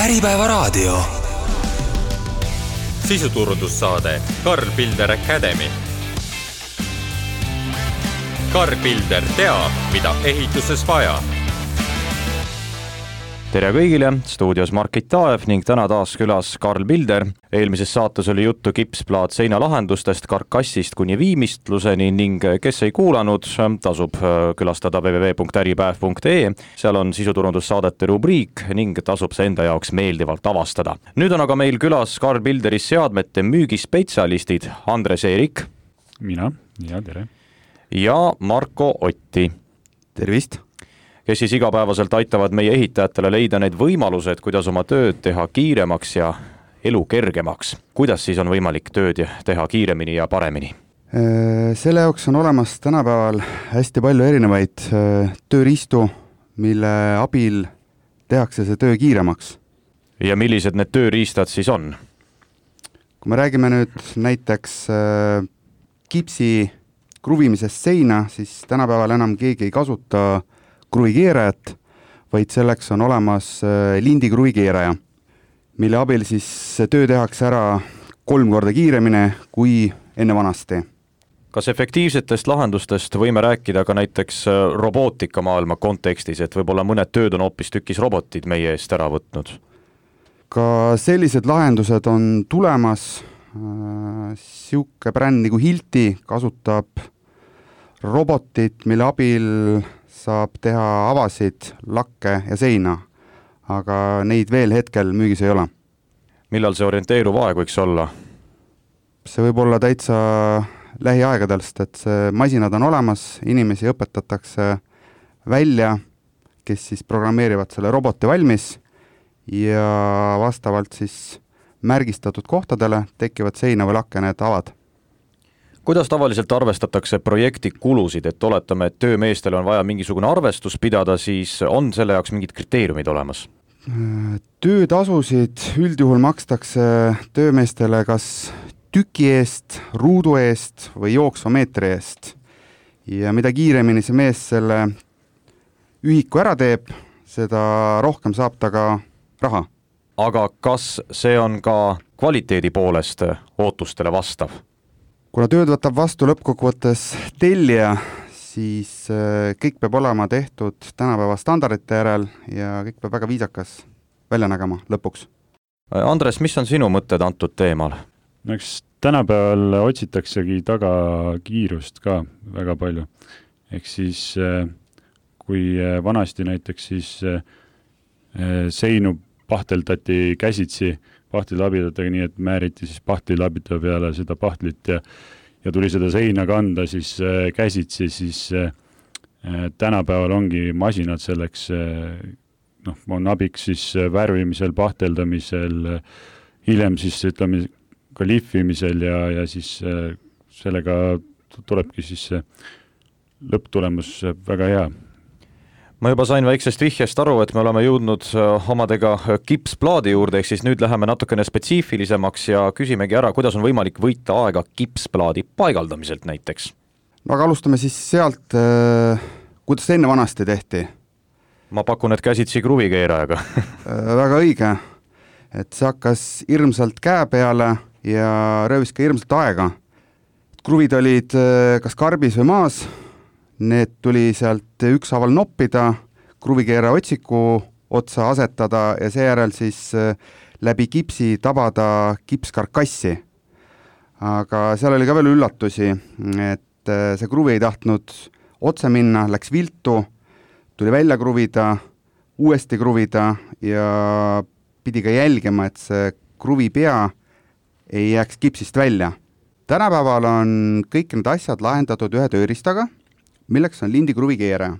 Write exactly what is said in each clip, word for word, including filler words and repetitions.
Äripäevaraadio. Sisuturundussaade Karl Pilder Academy. Karl Pilder teab, mida ehituses vaja. Tere kõigile, stuudios Markit Taev ning täna taas külas Karl Pilder. Eelmises saates oli juttu kipsplaat seinalahendustest karkassist kuni viimistluseni ning kes ei kuulanud, tasub külastada w w w punkt äripäev punkt e. Seal on sisuturundussaadete rubriik ning tasub see enda jaoks meeldivalt avastada. Nüüd on aga meil külas Karl Pilderi seadmete müügispetsialistid Andres Eerik. Mina, ja tere. Ja Marko Otti. Tervist! Kes siis igapäevaselt aitavad meie ehitajatele leida need võimalused, kuidas oma tööd teha kiiremaks ja elu kergemaks. Kuidas siis on võimalik tööd teha kiiremini ja paremini? Selle jaoks on olemas tänapäeval hästi palju erinevaid tööriistu, mille abil tehakse see töö kiiremaks. Ja millised need tööriistad siis on? Kui me räägime nüüd näiteks kipsi kruvimisest seina, siis tänapäeval enam keegi ei kasuta kruvikeerajat, vaid selleks on olemas lindi kruvikeeraja, mille abil siis töö tehakse ära kolm korda kiiremini kui enne vanasti. Kas efektiivsetest lahendustest võime rääkida ka näiteks robootika maailma kontekstis, et võib-olla mõned tööd on hoopis tükis robotid meie eest ära võtnud? Ka sellised lahendused on tulemas. Siuke bränd nagu Hilti kasutab robotit, mille abil saab teha avasid, lakke ja seina, aga neid veel hetkel müügis ei ole. Millal see orienteeruv aeg võiks olla? See võib olla täitsa lähiaegadest, et see masinad on olemas, inimesi õpetatakse välja, kes siis programmeerivad selle roboti valmis ja vastavalt siis märgistatud kohtadele tekivad seina või lakke need avad. Kuidas tavaliselt arvestatakse projekti kulusid, et oletame, et töömeestele on vaja mingisugune arvestus pidada, siis on selle jaoks mingid kriteeriumid olemas? Töötasusid üldjuhul makstakse töömeestele kas tüki eest, ruudu eest või jooksva meetri eest. Ja mida kiiremini see mees selle ühiku ära teeb, seda rohkem saab ta ka raha. Aga kas see on ka kvaliteedi poolest ootustele vastav? Kuna tööd võtab vastu lõppkokkuvõttes tellija, siis kõik peab olema tehtud tänapäeva standardite järel ja kõik peab väga viisakas välja nägema lõpuks. Andres, mis on sinu mõtted antud teemal? No eks tänapäeval otsitaksegi taga kiirust ka väga palju. Ehk siis kui vanasti näiteks siis seinu pahteldati käsitsi pahtlilabidadega, nii et määriti siis pahtlilabida peale seda pahtlit ja, ja tuli seda seina kanda siis äh, käsitsi, siis äh, tänapäeval ongi masinad selleks, äh, noh, on abiks siis värvimisel, pahteldamisel, äh, hiljem siis ütleme ka lihvimisel ja, ja siis äh, sellega tulebki siis äh, lõpptulemus väga hea. Ma juba sain väiksest vihjest aru, et me oleme jõudnud omadega kipsplaadi juurde, ehk siis nüüd läheme natukene spetsiifilisemaks ja küsimegi ära, kuidas on võimalik võita aega kipsplaadi paigaldamiselt näiteks? No aga alustame siis sealt, kuidas enne vanasti tehti. Ma pakun, et käsitsi kruvikeerajaga. Väga õige, et see hakkas hirmsalt käe peale ja röövis ka hirmsalt aega. Kruvid olid kas karbis või maas, need tuli sealt ükshaaval noppida, kruvikeera otsiku otsa asetada ja seejärel siis läbi kipsi tabada kipskarkassi. Aga seal oli ka veel üllatusi, et see kruvi ei tahtnud otse minna, läks viltu, tuli välja kruvida, uuesti kruvida ja pidi ka jälgima, et see kruvi pea ei jääks kipsist välja. Tänapäeval on kõik need asjad lahendatud ühe tööristaga, milleks on lindi kruvikeeraja,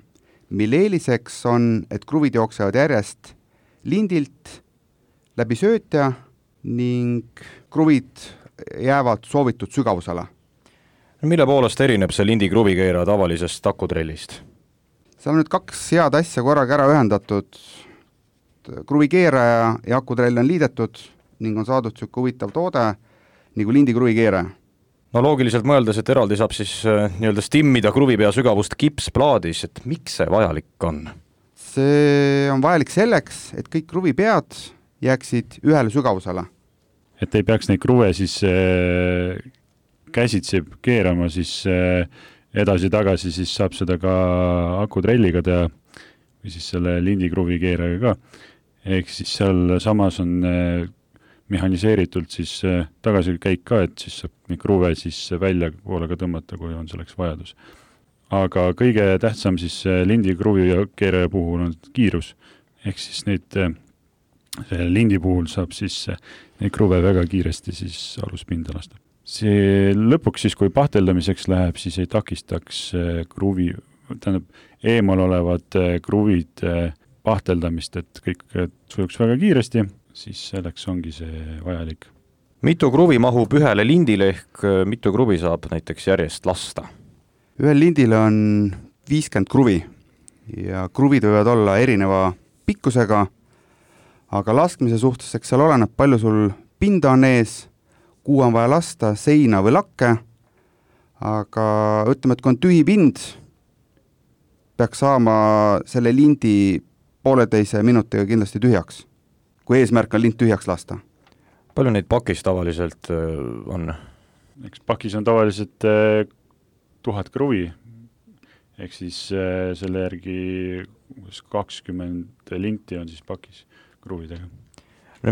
mille eeliseks on, et kruvid jooksevad järjest lindilt läbi söötja ning kruvid jäävad soovitud sügavusele. Mille poolest erineb see lindi kruvikeeraja tavalisest takutrellist? Seal on nüüd kaks head asja korraga ära ühendatud. Kruvikeeraja ja akutrell on liidetud ning on saadud sükke huvitav toode nagu lindi kruvikeeraja. No loogiliselt mõeldes, et eraldi saab siis nii-öelda stimmida kruvipea sügavust kipsplaadis, et miks see vajalik on? See on vajalik selleks, et kõik kruvipead jääksid ühele sügavusele. Et ei peaks neid kruve siis äh, käsitsi keerama, siis äh, edasi-tagasi siis saab seda ka akutrelliga teha või siis selle lindikruvi keerajaga ka. Ehk siis seal samas on äh, mehaniseeritult siis äh, tagasi käik ka, et siis saab neid kruve siis välja poolega tõmmata, kui on selleks vajadus. Aga kõige tähtsam siis lindikruvi keeraja puhul on kiirus. Ehk siis neid äh, lindi puhul saab siis äh, neid kruve väga kiiresti siis aluspinda lasta. See lõpuks siis, kui pahteldamiseks läheb, siis ei takistaks kruvi, tähendab, eemal olevad kruvid pahteldamist, et kõik sujuks väga kiiresti, siis selleks ongi see vajalik. Mitu kruvi mahub ühele lindile ehk mitu kruvi saab näiteks järjest lasta? Ühel lindile on viiskümmend kruvi ja kruvid võivad olla erineva pikkusega, aga laskmise suhtes, eks seal oleneb, palju sul pinda on ees, kuhu on vaja lasta, seina või lakke, aga ütleme, et kui on tühi pind, peaks saama selle lindi pooleteise minutiga kindlasti tühjaks, kui eesmärk on lind tühjaks lasta. Palju neid pakis tavaliselt on? Eks pakis on tavaliselt tuhat kruvi, ehk siis selle järgi kakskümmend linti on siis pakis kruvidega.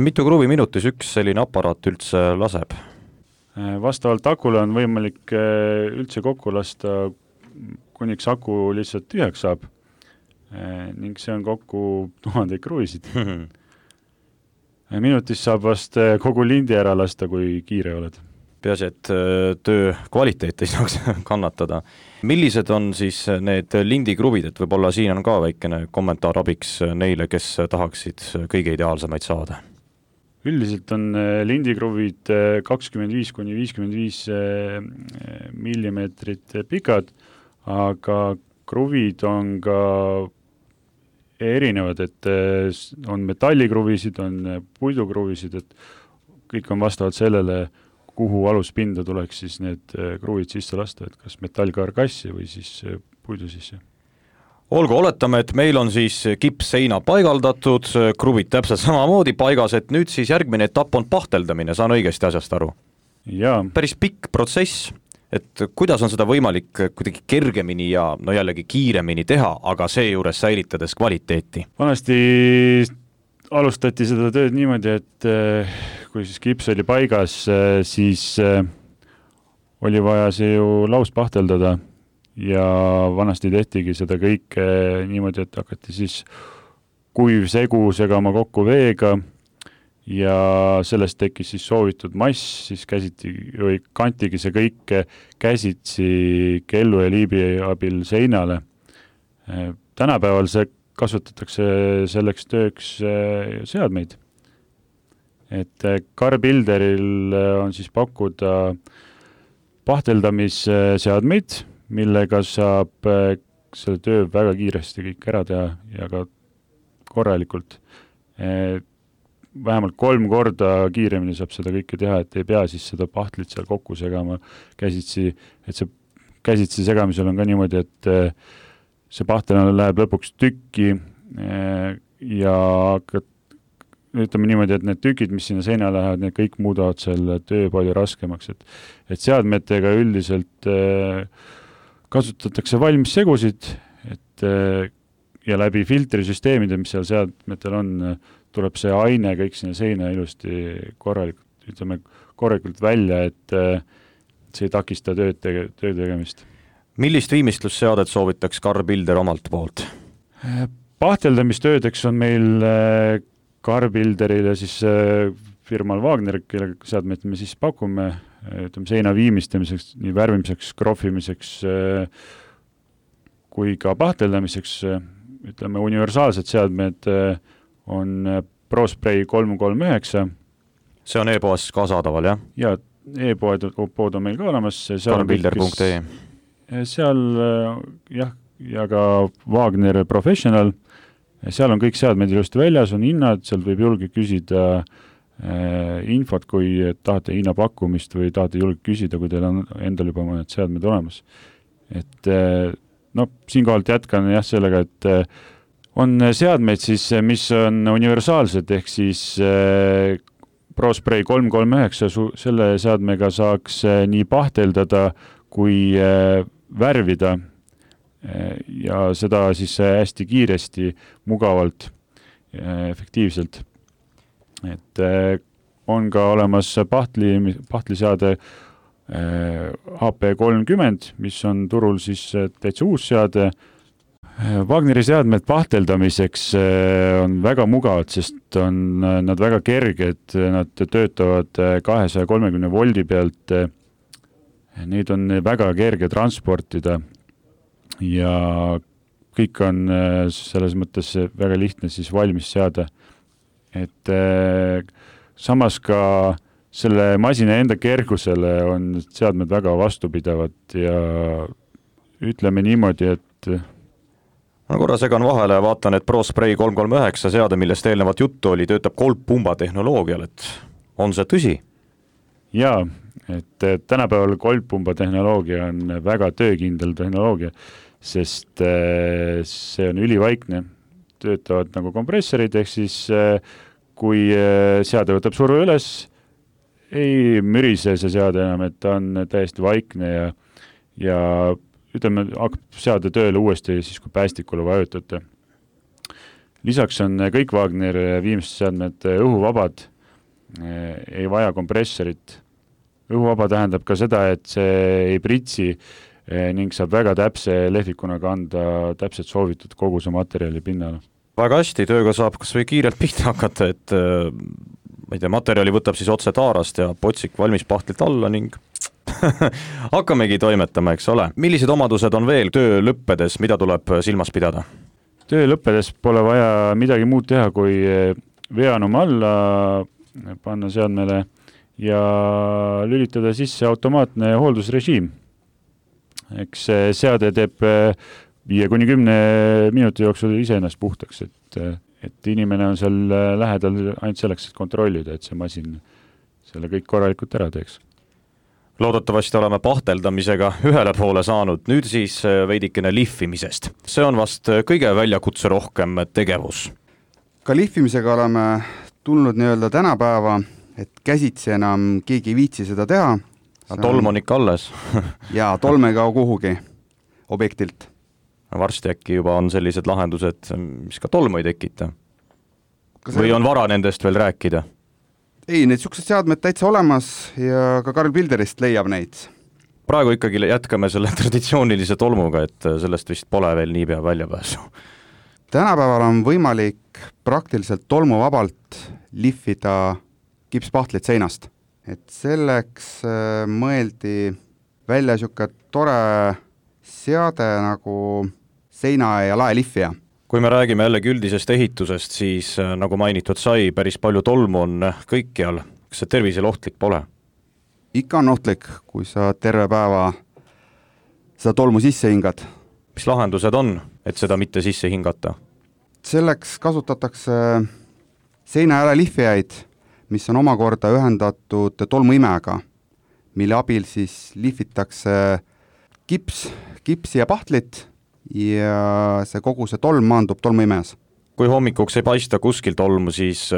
Mitu kruvi minutis üks selline aparaat üldse laseb? Vastavalt akule on võimalik üldse kokku lasta, kuniks aku lihtsalt tühjaks saab ning see on kokku tuhandeid kruvisid. Minutis saab vast kogu lindi ära lasta, kui kiire oled. Peasi, et töö kvaliteet ei saaks kannatada. Millised on siis need lindikruvid, et võib-olla siin on ka väikene kommentaar abiks neile, kes tahaksid kõige ideaalsemaid saada? Üldiselt on lindikruvid kakskümmend viis kuni viiskümmend viis millimeetrit pikad, aga kruvid on ka erinevad, et on metallikruvisid, on puidukruvisid, et kõik on vastavalt sellele, kuhu aluspinda tuleks siis need kruvid sisse lasta, et kas metallkarkassi või siis puidu sisse. Olgu, oletame, et meil on siis kipsseina paigaldatud, kruvid täpselt samamoodi paigas, et nüüd siis järgmine etapp on pahteldamine, saan õigesti asjast aru? Jaa. Päris pikk protsess, et kuidas on seda võimalik kuidagi kergemini ja no jällegi kiiremini teha, aga seejuures säilitades kvaliteeti? Vanasti alustati seda tööd niimoodi, et kui siis kips oli paigas, siis oli vaja see ju laus pahteldada. Ja vanasti tehtigi seda kõike niimoodi, et hakati siis kuiv segu segama kokku veega ja sellest tekkis siis soovitud mass, siis käsiti või kantigi see kõik käsitsi kellu ja liibi abil seinale. Tänapäeval see kasutatakse selleks tööks seadmeid. Et Carbilderil on siis pakkuda pahteldamisseadmeid, millega saab selle töö väga kiiresti kõik ära teha ja ka korralikult. Vähemalt kolm korda kiiremini saab seda kõike teha, et ei pea siis seda pahtlit seal kokku segama käsitsi, et see käsitsi segamisel on ka niimoodi, et see pahtel läheb lõpuks tükki ja ütleme niimoodi, et need tükid, mis sinna seina lähevad, need kõik muudavad selle töö palju raskemaks, et, et seadmetega üldiselt kasutatakse valmis segusid, et ja läbi filtrisüsteemide, mis seal seadmetel on, tuleb see aine kõik sinna seina ilusti korralikult, ütleme, korralikult välja, et see ei takista tööd, tege, tööd tegemist. Millist viimistlusseadet soovitaks Carbilder omalt poolt? Pahteldamistöödeks on meil Carbilderil ja siis firmal Wagner, kelle seadmeid me siis pakume, ütleme, seina viimistamiseks, nii värvimiseks, krohvimiseks kui ka pahteldamiseks, ütleme, universaalsed seadmed on ProSpray kolm kolm üheksa. See on e-poes ka saadaval, jah? Ja e-pood pood on meil ka olemas. Carbilder punkt ee. Seal, jah, ja ka Wagner Professional, seal on kõik seadmed ilusti väljas, on hinnad, seal võib julge küsida infot, kui tahate hinnapakkumist või tahate julge küsida, kui teil on endal juba mõned seadmed olemas. Et no, siinkohalt jätkan jah sellega, et on seadmeid siis, mis on universaalsed, ehk siis ProSpray kolm kolm üheksa, selle seadmega saaks nii pahteldada kui värvida ja seda siis hästi kiiresti, mugavalt, efektiivselt. Et on ka olemas pahtli, pahtliseade H P kolmkümmend, mis on turul siis täitsa uus seade. Wagneri seadmed pahteldamiseks on väga mugavad, sest on nad väga kerged, nad töötavad kahesaja kolmekümne voldi pealt, neid on väga kerge transportida ja kõik on selles mõttes väga lihtne siis valmis seada. Et samas ka selle masina enda kergusele on seadmed väga vastupidavad ja ütleme niimoodi, et no korra segan vahele, vaatan, et ProSpray kolm kolm üheksa seade, millest eelnevat juttu oli, töötab kolmpumba tehnoloogial, et on see tõsi? Jaa, et tänapäeval kolmpumba tehnoloogia on väga töökindel tehnoloogia, sest see on ülivaikne, töötavad nagu kompressorid, ehk siis kui seade võtab surve üles, ei mürise see seade enam, et ta on täiesti vaikne ja, ja ütleme, hakkab seade tööle uuesti siis, kui päästikule vajutate. Lisaks on kõik Wagner viimsed seadmed õhuvabad, ei vaja kompressorit. Õhuvaba tähendab ka seda, et see ei pritsi ning saab väga täpse lehvikuna kanda täpselt soovitud koguse materjali pinnale. Väga hästi, tööga saab kas või kiirelt pihta hakata, et ma ei tea, materjali võtab siis otse taarast ja potsik valmis pahtlit alla ning hakkamegi toimetama, eks ole. Millised omadused on veel töö lõppedes, mida tuleb silmas pidada? Töö lõppedes pole vaja midagi muud teha, kui veanum alla panna seadmele ja lülitada sisse automaatne hooldusrežiim. Eks seade teeb viie kuni kümne minuti jooksul ise ennast puhtaks, et, et inimene on seal lähedal ainult selleks, et kontrollida, et see masin selle kõik korralikult ära teeks. Loodetavasti oleme pahteldamisega ühele poole saanud, nüüd siis veidikene lihvimisest. See on vast kõige väljakutse rohkem tegevus. Ka lihvimisega oleme tulnud nii-öelda tänapäeva, et käsitsi enam keegi ei viitsi seda teha. Tolm on ikka alles. ja tolm ei kao kuhugi objektilt. Varsti äkki juba on sellised lahendused, mis ka tolmu ei tekita. Või on vara nendest veel rääkida? Ei, need siuksed seadmed täitsa olemas ja ka Karl Bilderist leiab neid. Praegu ikkagi jätkame selle traditsioonilise tolmuga, et sellest vist pole veel nii pea väljapääsu. Tänapäeval on võimalik praktiliselt tolmuvabalt lihvida kipspahtlit seinast. Et selleks mõeldi välja siuke tore seade nagu seina- ja laelihvija. Kui me räägime jällegi üldisest ehitusest, siis nagu mainitud sai, päris palju tolmu on kõikjal. Kas see tervisele ohtlik pole? Ikka on ohtlik, kui sa terve päeva seda tolmu sisse hingad. Mis lahendused on, et seda mitte sisse hingata? Selleks kasutatakse seina- ja lihvijaid, mis on omakorda ühendatud tolmuimega, mille abil siis lihvitakse kips, kipsi ja pahtlit ja see kogu see tolm maandub tolmuimes. Kui hommikuks ei paista kuskil tolmu, siis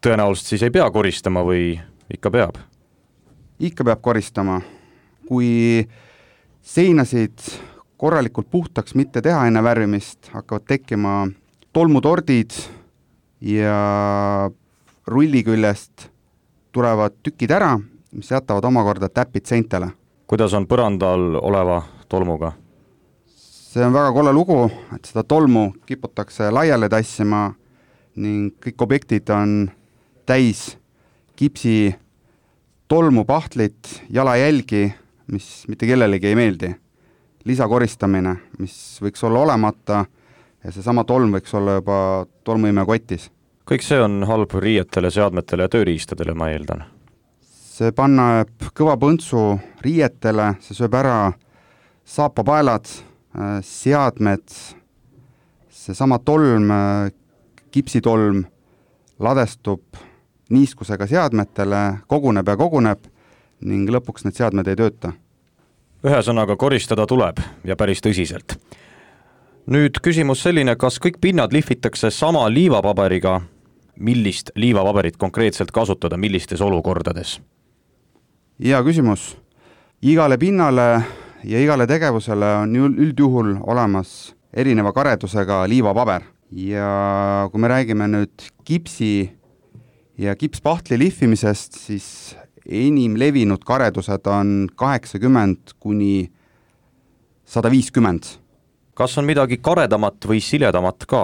tõenäoliselt siis ei pea koristama või ikka peab? Ikka peab koristama. Kui seinasid korralikult puhtaks mitte teha enne värvimist, hakkavad tekkima tolmutordid ja rulli küljest tulevad tükid ära, mis jätavad omakorda täpid seintele. Kuidas on põrandal oleva tolmuga? See on väga kolle lugu, et seda tolmu kiputakse laiale tassima ning kõik objektid on täis kipsi tolmu, pahtlit, jalajälgi, mis mitte kellelegi ei meeldi. Lisakoristamine, mis võiks olla olemata ja see sama tolm võiks olla juba tolmuime kotis. Kõik see on halb riietele, seadmetele ja tööriistadele, ma eeldan. See pannab kõva põntsu riietele, see sööb ära saapapaelad, seadmed, see sama tolm, kipsitolm ladestub niiskusega seadmetele, koguneb ja koguneb ning lõpuks need seadmed ei tööta. Ühesõnaga koristada tuleb ja päris tõsiselt. nüüd küsimus selline, kas kõik pinnad lihvitakse sama liivapaberiga, millist liivapaberit konkreetselt kasutada, millistes olukordades? Hea küsimus. Igale pinnale ja igale tegevusele on üldjuhul olemas erineva karedusega liivapaber ja kui me räägime nüüd kipsi ja kipspahtli lihvimisest, siis enim levinud karedused on kaheksakümmend kuni sada viiskümmend. Kas on midagi karedamat või siledamat ka?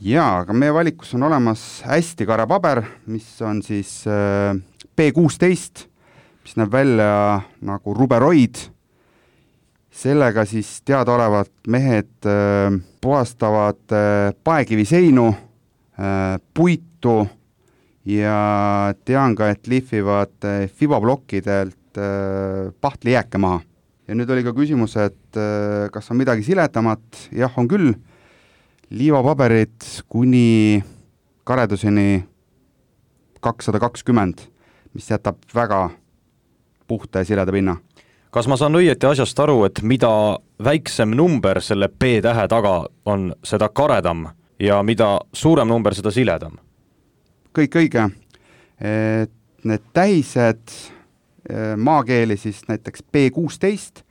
Jaa, aga meie valikus on olemas hästi kare paber, mis on siis P kuusteist, mis näeb välja nagu ruberoid. Sellega siis teadaolevat mehed puhastavad paekiviseinu, puitu ja tean ka, et lihvivad fibablokkidelt pahtli jääke maha. Ja nüüd oli ka küsimus, et kas on midagi siledamat? Jah, on küll. Liivapaberid kuni kareduseni kakssada kakskümmend, mis jätab väga puhta ja sileda pinna. Kas ma saan õieti asjast aru, et mida väiksem number selle P-tähe taga on, seda karedam ja mida suurem number, seda siledam? Kõik õige. Et need tähised maakeeli siis näiteks P kuusteist,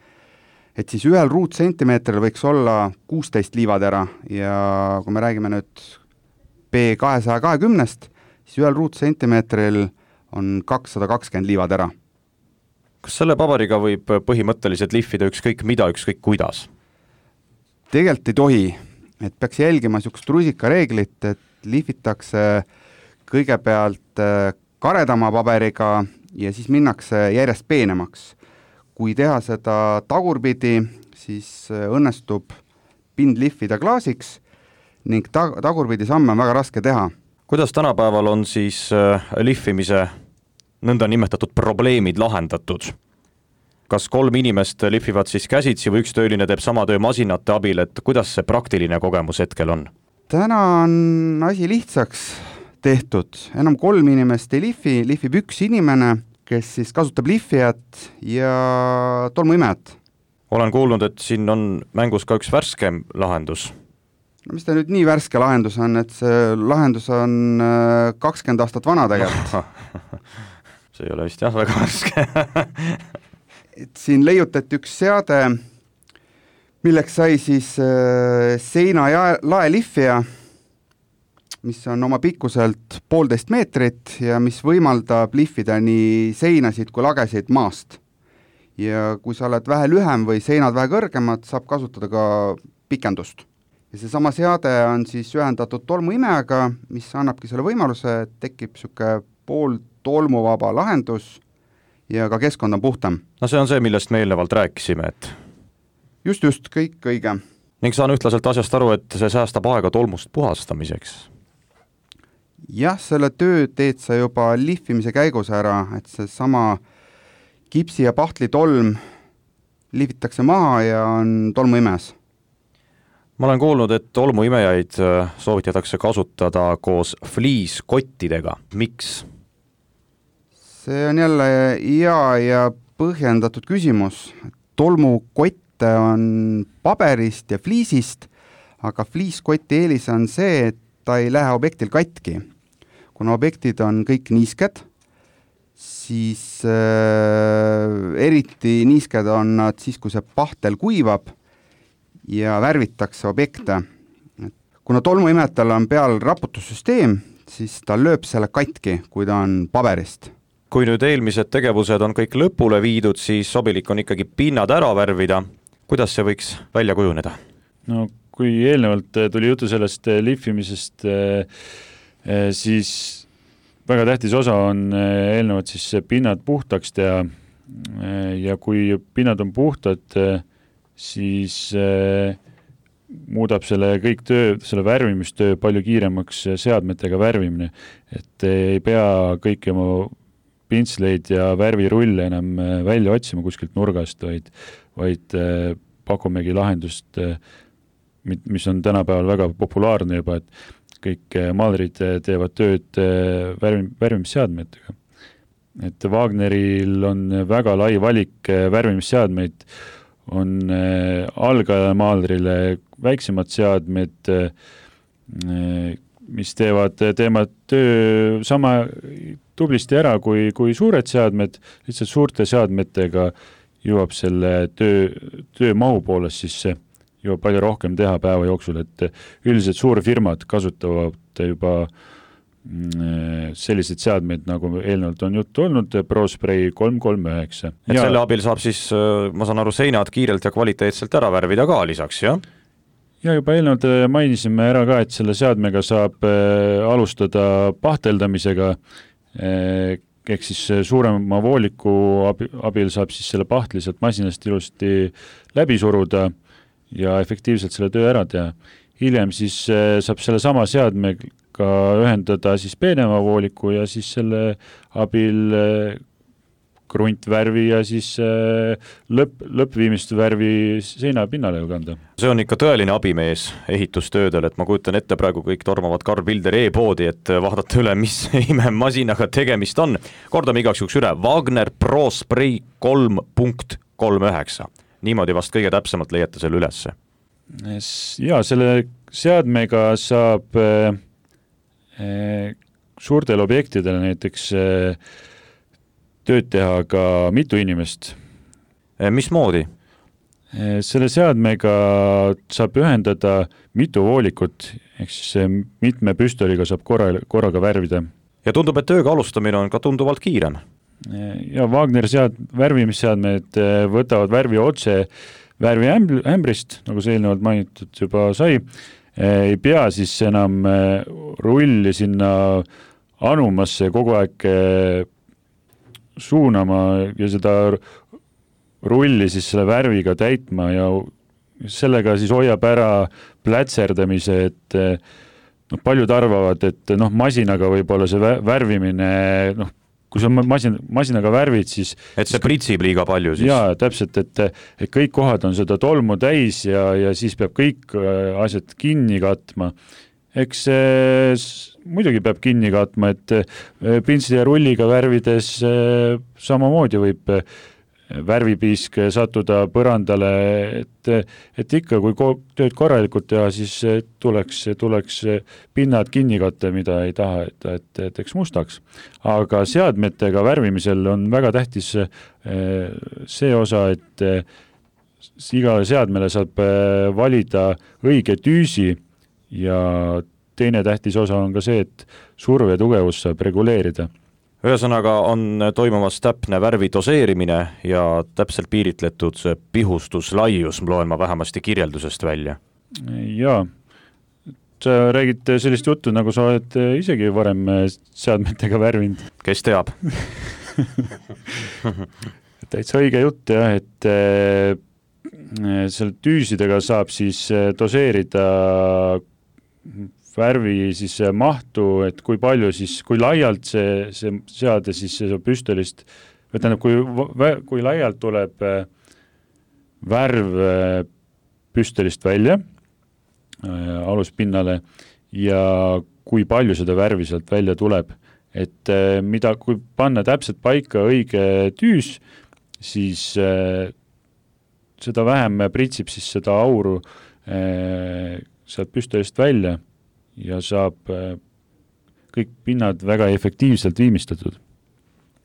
et siis ühel ruutsentimeetril võiks olla kuusteist liivatera ja kui me räägime nüüd P kahesaja kahekümnest, siis ühel ruutsentimeetril on kakssada kakskümmend liivatera. Kas selle paberiga võib põhimõtteliselt lihvida ükskõik mida, ükskõik kuidas? Tegelikult ei tohi, et peaks jälgima niisugust rusikareeglit, et lihvitakse kõigepealt karedama paberiga ja siis minnakse järjest peenemaks. Kui teha seda tagurpidi, siis õnnestub pind lihvida klaasiks ning tag- tagurpidi samme on väga raske teha. Kuidas tänapäeval on siis lihvimise nõnda nimetatud probleemid lahendatud? Kas kolm inimest lihvivad siis käsitsi või üks tööline teeb sama töö masinate abil, et kuidas see praktiline kogemus hetkel on? Täna on asi lihtsaks tehtud. Enam kolm inimest ei lihvi, lihvib üks inimene, kes siis kasutab lihvijat ja tolmuimejat. Olen kuulnud, et siin on mängus ka üks värskem lahendus. No mis ta nüüd nii värske lahendus on, et see lahendus on kakskümmend aastat vana tegelikult. See ei ole vist jah väga värske. et siin leiutati üks seade, milleks sai siis seina ja lae lihvija, mis on oma pikkuselt poolteist meetrit ja mis võimaldab lihvida nii seinasid kui lagesid maast. Ja kui sa oled vähe lühem või seinad vähe kõrgemad, saab kasutada ka pikendust. Ja see sama seade on siis ühendatud tolmuimejaga, mis annabki selle võimaluse, et tekib siuke pool tolmuvaba lahendus ja ka keskkond on puhtam. No see on see, millest me eelnevalt rääkisime, et... Just, just, kõik õige. Ning saan ühtlaselt asjast aru, et see säästab aega tolmust puhastamiseks. Jah, selle töö teed sa juba lihvimise käigus ära, et see sama kipsi ja pahtli tolm lihvitakse maha ja on tolmuimes. Ma olen kuulnud, et tolmuimejaid soovitatakse kasutada koos fliiskottidega. Miks? See on jälle hea ja põhjendatud küsimus. Tolmukotte on paberist ja fliisist, aga fliiskotti eelis on see, et ta ei lähe objektil katki. Kuna objektid on kõik niisked, siis äh, eriti niisked on nad siis, kui see pahtel kuivab ja värvitakse objekte. Kuna tolmuimetal on peal raputussüsteem, siis ta lööb selle katki, kui ta on paberist. Kui nüüd eelmised tegevused on kõik lõpule viidud, siis sobilik on ikkagi pinnad ära värvida. Kuidas see võiks välja kujuneda? No kui eelnevalt tuli jutu sellest lihvimisest, siis väga tähtis osa on eelnevalt siis pinnad puhtaks teha ja kui pinnad on puhtad, siis muudab selle kõik töö, selle värvimistöö palju kiiremaks seadmetega värvimine, et ei pea kõiki oma pintsleid ja värvirulle enam välja otsima kuskilt nurgast, vaid, vaid pakumegi lahendust, mis on tänapäeval väga populaarne juba, et kõik maalrid teevad tööd värvim, värvimisseadmetega. Et Wagneril on väga lai valik värvimisseadmeid, on algajamaalrile väiksemad seadmed, mis teevad, teevad töö sama tublisti ära kui, kui suured seadmed, lihtsalt suurte seadmetega jõuab selle töö, töö mahu poolest siis jõuab palju rohkem teha päeva jooksul, et üldiselt suurfirmad kasutavad juba sellised seadmeid, nagu eelnevalt on juttu olnud, ProSpray kolm kolm üheksa. Et ja selle abil saab siis, ma saan aru, seinad kiirelt ja kvaliteetselt ära värvida ka lisaks, jah? Ja juba eelnevalt mainisime ära ka, et selle seadmega saab alustada pahteldamisega, ehk siis suurema vooliku abil saab siis selle pahtli sealt masinast ilusti läbi suruda ja efektiivselt selle töö ära teha. Hiljem siis saab selle sama seadmega ühendada siis peenema vooliku ja siis selle abil kruntvärvi ja siis lõpp, lõppviimist värvi seina pinnale ju kanda. See on ikka tõeline abimees ehitustöödel, et ma kujutan ette praegu kõik tormavad Karl Pilder e-poodi, et vaadata üle, mis ime masinaga tegemist on. Kordame igaks juks üle, Wagner ProSpray kolm kolm üheksa. Niimoodi vast kõige täpsemalt leiate selle ülesse. Ja selle seadmega saab suurtel objektidele näiteks tööd teha ka mitu inimest. Mis moodi? Selle seadmega saab ühendada mitu voolikut, ehk siis mitme püstoliga saab korra, korraga värvida. Ja tundub, et tööga alustamine on ka tunduvalt kiirem. Ja Wagner sead, värvimisseadmed võtavad värvi otse värvi ämbrist, nagu see eelnevalt mainitud juba sai. Ei pea siis enam rulli sinna anumasse kogu aeg suunama ja seda rulli siis selle värviga täitma ja sellega siis hoiab ära plätserdamise, et no, paljud arvavad, et noh, masinaga võib-olla see värvimine, noh, kui sa masin, masinaga värvid, siis... Et see pritsib liiga palju siis? Jaa, täpselt, et, et kõik kohad on seda tolmu täis ja, ja siis peab kõik asjad kinni katma. Eks see muidugi peab kinni katma, et pintsli ja rulliga värvides samamoodi võib värvipiisk sattuda põrandale, et, et ikka, kui tööd korralikult teha, siis tuleks, tuleks pinnad kinni katta, mida ei taha, et, et, et eks mustaks. Aga seadmetega värvimisel on väga tähtis see osa, et igale seadmele saab valida õige tüüsi ja teine tähtis osa on ka see, et surve tugevus saab reguleerida. Ühesõnaga on toimumas täpne värvi doseerimine ja täpselt piiritletud pihustuslaius, loen ma vähemasti kirjeldusest välja. Jaa, sa räägid sellist juttu, nagu sa oled isegi varem seadmetega värvinud. Kes teab? Täitsa õige jutt, jah, et selle tüüsidega saab siis doseerida värvi siis mahtu, et kui palju siis, kui laialt see, see seade siis see püstolist, või tähendab, kui, kui laialt tuleb värv püstolist välja aluspinnale ja kui palju seda värvi sealt välja tuleb, et mida, kui panna täpselt paika õige tüüs, siis seda vähem pritsib siis seda auru sealt püstolist välja ja saab kõik pinnad väga efektiivselt viimistletud.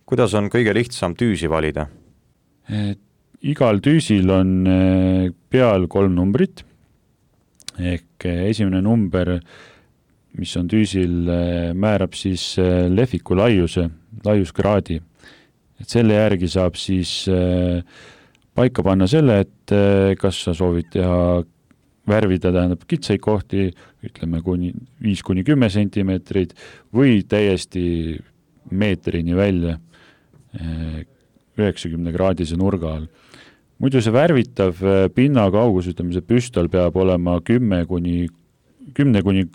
Kuidas on kõige lihtsam tüüsi valida? Igal tüüsil on peal kolm numbrit, ehk esimene number, mis on tüüsil, määrab siis lehviku laiuse, laiuskraadi. Et selle järgi saab siis paika panna selle, et kas sa soovid teha värvida, tähendab kitsaid kohti, ütleme kuni viis kuni kümme sentimeetrit või täiesti meetrini välja üheksakümne kraadise nurga all. Muidu see värvitav pinna kaugus, ütleme see püstol peab olema kümme kuni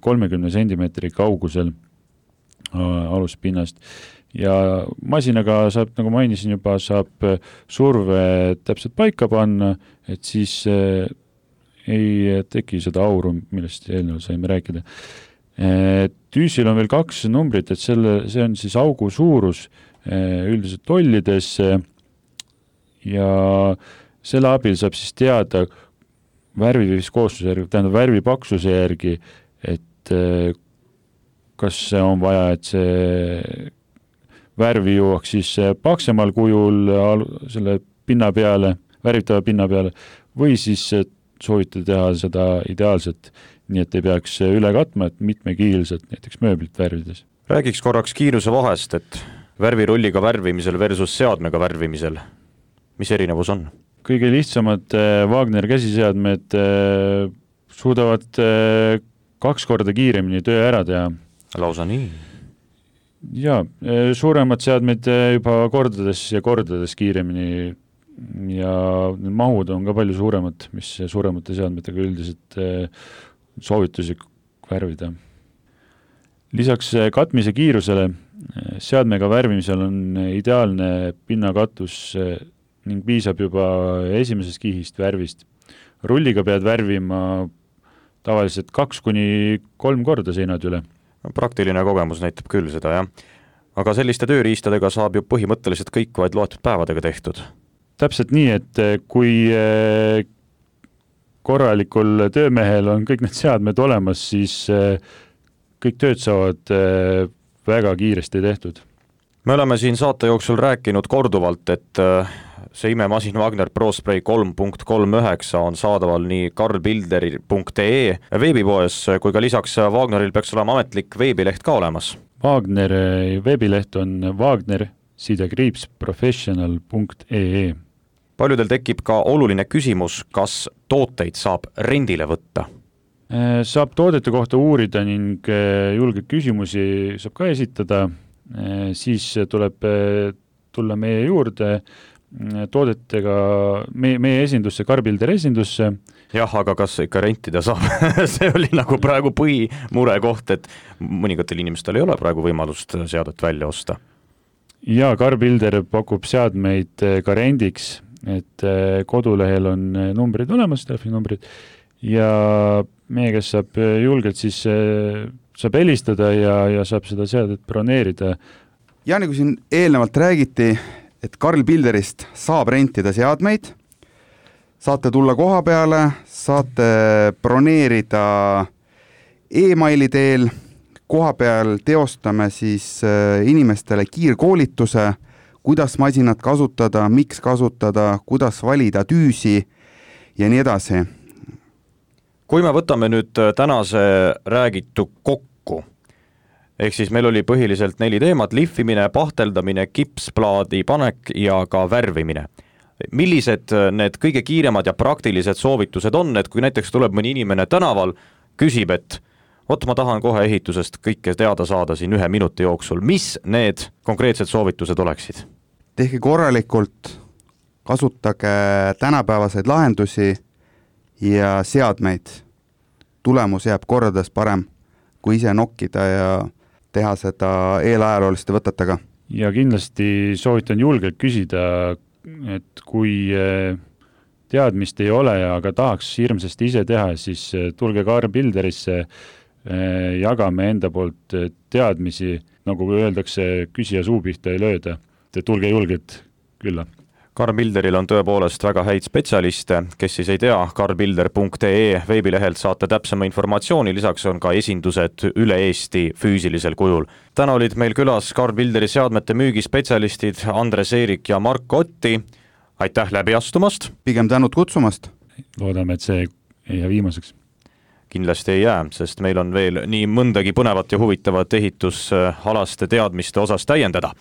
kolmekümne sentimeetri kaugusel aluspinnast ja masinaga saab, nagu mainisin juba, saab surve täpselt paika panna, et siis ei teki seda auru, millest eelnevalt saime rääkida. Tüüsil on veel kaks numbrit, et selle, see on siis augu suurus üldiselt tollides ja selle abil saab siis teada värviviskoosluse järgi, tähendab värvi paksuse järgi, et kas on vaja, et see värvi jõuaks siis paksemal kujul selle pinna peale, värvitava pinna peale, või siis soovitada teha seda ideaalselt, nii et ei peaks üle katma, et mitmekiilselt näiteks mööblit värvides. Räägiks korraks kiiruse vahest, et värvirulliga värvimisel versus seadmega värvimisel. Mis erinevus on? Kõige lihtsamad Wagner käsiseadmed suudavad kaks korda kiiremini töö ära teha. Lausa nii? Jaa, suuremad seadmed juba kordades ja kordades kiiremini ja mahud on ka palju suuremad, mis suuremate seadmetega üldiselt soovituslik värvida. Lisaks katmise kiirusele seadmega värvimisel on ideaalne pinnakatus ning piisab juba esimesest kihist värvist. Rulliga pead värvima tavaliselt kaks kuni kolm korda seinad üle. Praktiline kogemus näitab küll seda, jah. Aga selliste tööriistadega saab ju põhimõtteliselt kõik vaid loetud päevadega tehtud. Täpselt nii, et kui korralikul töömehel on kõik need seadmed olemas, siis kõik tööd saavad väga kiiresti tehtud. Me oleme siin saate jooksul rääkinud korduvalt, et see imemasin Wagner ProSpray kolm punkt kolmkümmend üheksa on saadaval nii karlbilderi punkt ee veebipoes, kui ka lisaks Wagneril peaks olema ametlik veebileht ka olemas. Wagner veebileht on wagner sidekriips professional punkt ee. Paljudel tekib ka oluline küsimus, kas tooteid saab rendile võtta? Saab toodete kohta uurida ning julgeid küsimusi saab ka esitada, siis tuleb tulla meie juurde toodetega, meie, meie esindusse, Karbilder esindusse. Jah, aga kas ikka rentida saab? See oli nagu praegu põhimure koht, et mõningatel inimestel ei ole praegu võimalust seadet välja osta. Ja Karbilder pakub seadmeid ka rendiks, et kodulehel on numbrid olemas, telefoninumbrid, ja meie, kes saab julgelt, siis saab helistada ja, ja saab seda seadet broneerida. Ja nagu siin eelnevalt räägiti, et Karlbilderist saab rentida seadmeid, saate tulla koha peale, saate broneerida e-maili teel, koha peal teostame siis inimestele kiirkoolituse, kuidas masinat kasutada, miks kasutada, kuidas valida tüüsi ja nii edasi. Kui me võtame nüüd tänase räägitu kokku, ehk siis meil oli põhiliselt neli teemat, lihvimine, pahteldamine, kipsplaadi panek ja ka värvimine. Millised need kõige kiiremad ja praktilised soovitused on, et kui näiteks tuleb mõni inimene tänaval, küsib, et ot, ma tahan kohe ehitusest kõike teada saada siin ühe minuti jooksul, mis need konkreetsed soovitused oleksid? Tehke korralikult, kasutage tänapäevaseid lahendusi ja seadmeid. Tulemus jääb kordades parem, kui ise nokkida ja teha seda eelajalooliste võtetega. Ja kindlasti soovitan julgelt küsida, et kui teadmist ei ole, aga tahaks hirmsasti ise teha, siis tulge Karlbilderisse, jagame enda poolt teadmisi, nagu öeldakse, küsija suu pihta ei lööda. Tulge julgelt külla. Karlbilderil on tõepoolest väga häid spetsialiste, kes siis ei tea, karlbilder punkt ee veebilehelt saate täpsema informatsiooni, lisaks on ka esindused üle Eesti füüsilisel kujul. Täna olid meil külas Karlbilderi seadmete müügispetsialistid Andres Eerik ja Mark Otti. Aitäh läbi astumast! Pigem tänud kutsumast! Loodame, et see ei jää viimaseks. Kindlasti ei jää, sest meil on veel nii mõndagi põnevat ja huvitavat ehitusalaste teadmiste osas täiendada.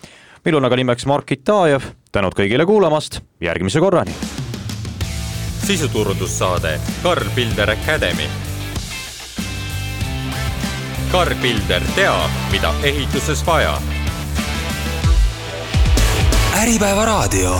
Meil on aga nimeks Mark Itajev, tänud kõigile kuulamast, järgmise korrani. Sisuturundussaade Karlbilder Academy. Karlbilder teab, mida ehituses vaja. Äripäeva raadio.